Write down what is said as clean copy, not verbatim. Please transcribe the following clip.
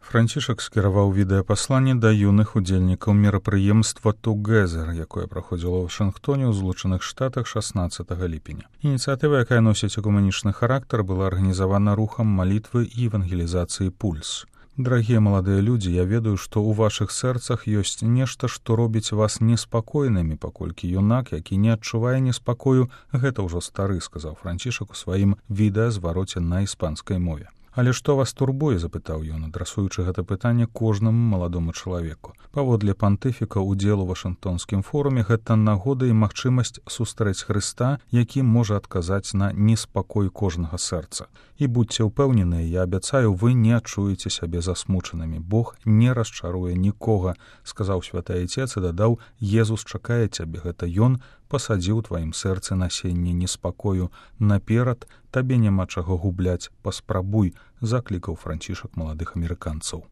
Францішак скіраваў відэапасланне да юных удзельнікаў мерапрыемства «Together», якое праходзіла ў Вашынгтоне ў Злучаных Штатах 16 ліпеня. Ініцыятыва, якая носіць экумэнічны характар, была арганізавана рухам малітвы і евангелізацыі «Пульс». Дарагія маладыя людзі, я ведаю, што ў вашых сэрцах ёсць нешта, што робіць вас неспакойнымі, паколькі юнак, які не адчувае неспакою, гэта ўжо стары, сказаў Францішак у сваім відэазвароце на іспанскай мове. Але што вас турбуе, запытаў ён, адрасуючы гэта пытанне кожнаму маладому чалавеку. Паводле пантыфіка удзел у Вашынгтонскім форуме гэта нагода і магчымасць сустрэць Хрыста, які можа адказаць на неспакой кожнага сэрца. І будьце ўпэўненыя, я абяцаю, вы не адчуеце сябе засмучанымі. Бог не расчаруе нікога, сказаў святы Айцец і дадаў: Езус чакае цябе, гэта ён пасадзіў у тваім сэрцы насенне неспакою. Наперад табе няма чаго губляць, паспрабуй, заклікаў Францішак маладых амерыканцаў.